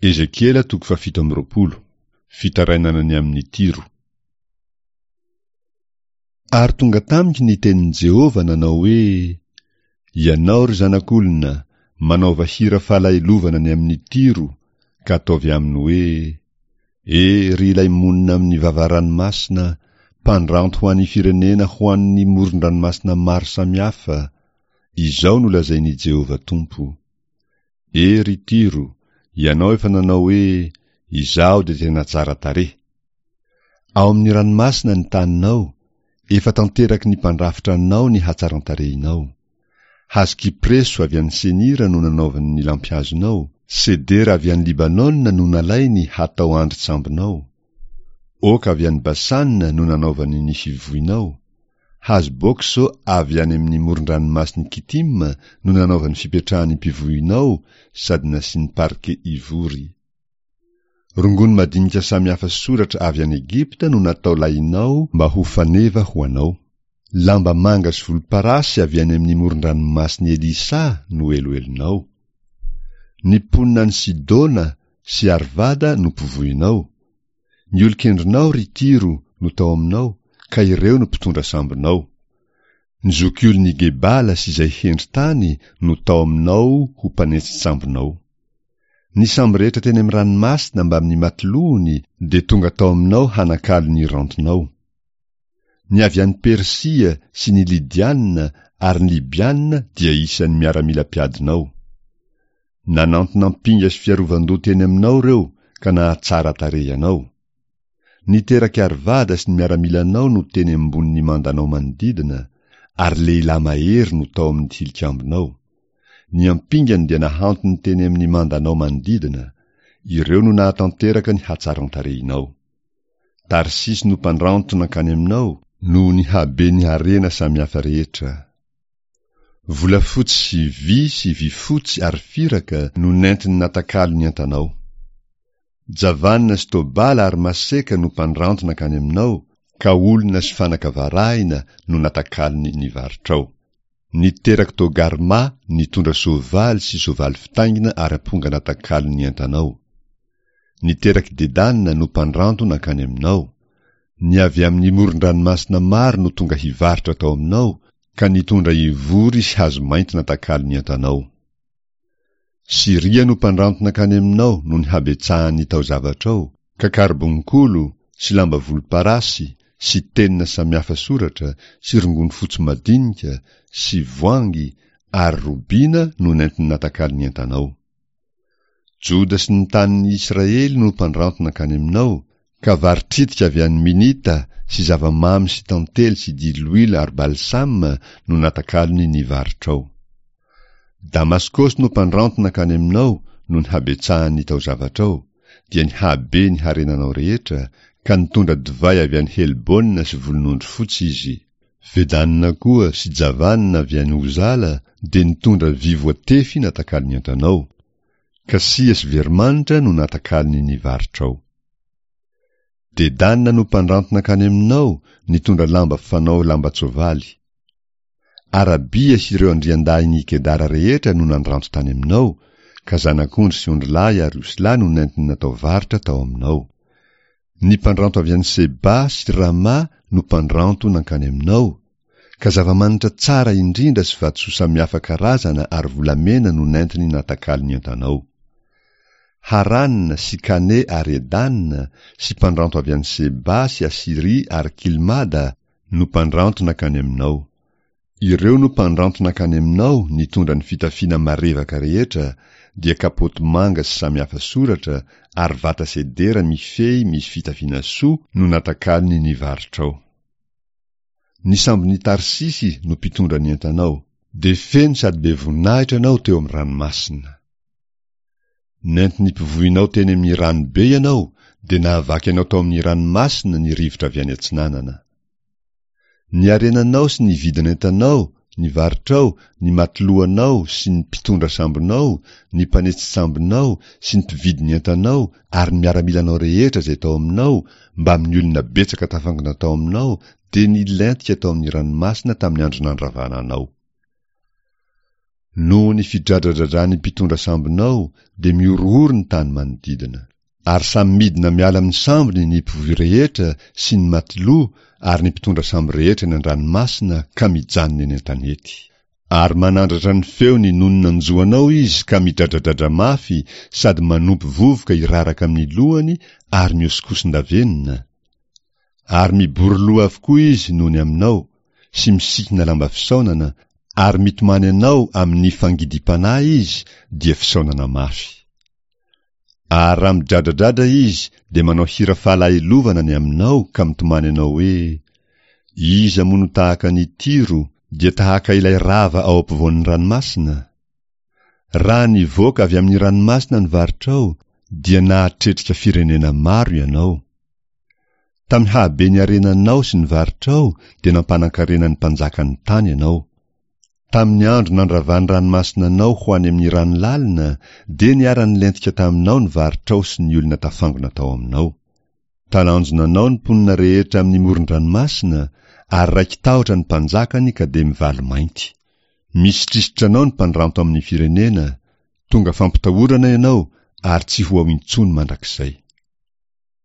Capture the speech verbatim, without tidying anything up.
Ezekiela toko fahafito amby roapolo. Fitarainana ny amin'i Tyro. Ary tonga tamiko ny tenin'i Jehovah nanao hoe, Ianao, ry zanak'olona, manaova hira fahalahelovana ny amin'i Tyro, ka ataovy aminy hoe, E, ry ilay monina amin'ny vava-ranomasina, mpandranto ho an'ny firenena ho an'ny moron-dranomasina maro samihafa, izao no lazain'i Jehovah Tompo, E, ry Tyro, ianao efa nanao hoe, Izaho dia tena tsara tarehy. Ao amin'ny ranomasina ny taninao, efa tanteraky ny mpandrafitra anao ny hatsaran-tarehinao. Hazo kypreso avy any Senira no nanaovany ny lampihazonao, sedera avy any Libanona no nalainy hatao andrin-tsambonao, oka avy any Basana no nanaovany ny fivoinao, hazo bokso avy any amin'ny moron-dranomasin'i Kitima no nanaovany fipetrahan'ny mpivoinao sady nasiany parke ivory. Rongony madinika samihafa soratra avy any Egypta no natao lahinao mba ho faneva ho anao. Lamba manga sy volomparasy avy any amin'ny moron-dranomasin'i Elisa no eloelonao. Ny mponina any Sidona sy Arvada no mpivohinao. Ny olon-kendrinao, ry Tyro, no tao aminao, ka ireo no mpitondra sambonao. Ny zokiolon'i Gebala sy izay hendry tany no tao aminao ho mpanentsin-tsambonao. Ny sambo rehetra teny amin'ny ranomasina mbamin'ny matilohony dia tonga tao aminao hanakalo ny rantonao. Ny avy any Persia sy ny Lydiana ary ny Libyana dia isan'ny miaramila mpiadinao. Nanantona ampinga sy fiarovan-doha teny aminao ireo ka nahatsara tarehy anao. Ny terak'i Arvada sy ny miaramilanao no teny ambonin'ny mandanao manodidina, ary lehilahy mahery no tao amin'ny tilikambonao. Ny ampingany dia nahantony teny amin'ny mandanao manodidina, ireo no nahatanteraka ny hatsaran-tarehinao. Tarsisy no mpandranto nankany aminao, noho ny haben'ny harena samihafa rehetra. Volafotsy sy vy sy vifotsy ary firaka no nentiny natakalo ny entanao. Javanina sy Tobala ary Maseka no mpandranto nankany aminao, ka olona sy fanaka varahina no natakalony ny varotrao. Ny terak'i Togarma nitondra soavaly sy soavaly fitaingina ary amponga natakalo ny entanao. Ny terak'i Dedana no mpandranto nankany aminao. Ny avy amin'ny moron-dranomasina maro no tonga hivarotra tao aminao, ka nitondra ivory sy hazo mainty natakalo ny entanao. Syria no mpandranto nankany aminao noho ny habetsahan'ny taozavatrao, ka karbonkolo sy lamba volomparasy sy tenona samihafa soratra sy rongony fotsy madinika sy voangy ary robina no nentiny natakalo ny entanao. Joda sy ny tanin'ny Israely no mpandranto nankany aminao, ka vary tritika avy any Minita sy zava-mamy sy tantely sy diloilo ary balsama no natakalony ny varotrao. Damaskosy no mpandranto nankany aminao noho ny habetsahan'ny taozavatrao, dia ny habe ny harenanao rehetra, ka nitondra divay avy any Helbona sy volonondry fotsy izy. Vedanina koa sy Javanina avy any Ozala dia nitondra vy voatefy natakalony entanao. Kasia sy veromanitra no natakalony ny varotrao. Dedana no mpandranto nankany aminao nitondra lamba fanao lamban-tsoavaly. Arabia sy ireo andriandahin'i Kedara rehetra no nandranto tany aminao, ka zanak'ondry sy ondrilahy ary osilahy no nentiny natao varotra tao aminao. Ny mpandranto avy any Seba sy Rama no mpandranto nankany aminao, ka zava-manitra tsara indrindra sy vatosoa samihafa karazana ary volamena no nentiny natakalo ny entanao. Harana sy Kane ary Edana sy mpandranto avy any Seba sy Asyria ary Kilmada no mpandranto nankany aminao. Ireo no mpandranto nankany aminao nitondra ny fitafiana marevaka rehetra, dia kapoty manga sy samihafa soratra ary vata sedera mifehy misy fitafiana soa no natakalony ny varotrao. Ny sambon'i Tarsisy no mpitondra ny entanao, dia feno sady be voninahitra ianao teo amin'ny ranomasina. Nentin'ny mpivohinao teny amin'ny rano be ianao, dia nahavaky anao tao amin'ny ranomasina ny rivotra avy any atsinanana. Ny harenanao sy ny vidin'entanao, ny varotrao, ny matilohanao sy ny mpitondra sambonao, ny mpanetsi-tsambonao sy ny mpividy ny entanao ary ny miaramilanao rehetra izay tao aminao mbamin'ny olona betsaka tafangona tao aminao dia nilentika tao amin'ny ranomasina tamin'ny andro nandravana anao. Noho ny fidradradradran'ny mpitondra sambonao dia mihorohoro ny tany manodidina. Ary samy midina miala amin'ny sambony ny mpivoy rehetra sy ny matiloa ary ny mpitondra sambo rehetra eny an-dranomasina ka mijanona eny an-tanety. Ary manandratra ny feony noho ny nanjo anao izy ka midradradradra mafy sady manompy vovoka hiraraka amin'ny lohany ary mihosinkosin-davenona. Ary mibory loha avokoa izy noho ny aminao, sy misikina lamba fisaonana, ary mitomany anao amin'ny fangidim-panahy izy, dia fisaonana mafy. Ary raha midradradradra izy dia manao hira fahalahelovana ny aminao ka mitomany anao hoe, Iza moa no tahaka an'i Tyro, dia tahaka ilay rava ao ampovoan'ny ranomasina? Raha nivoaka avy amin'ny ranomasina ny varotrao, dia nahatretrika firenena maro ianao. Tamin'ny hahaben'ny harenanao sy ny varotrao dia nampanan-karena ny mpanjakan'ny tany ianao. Tamin'ny andro nandravan'ny ranomasina anao ho any amin'ny rano lalina, dia niara-nilentika taminao ny varotrao sy ny olona tafangona tao aminao. Talanjona anao ny mponina rehetra amin'ny moron-dranomasina, ary raiki-tahotra ny mpanjakany ka dia mivalo-mainty. Misitrisitra anao ny mpandranto amin'ny firenena, tonga fampitahorana ianao ary tsy ho ao intsony mandrakizay.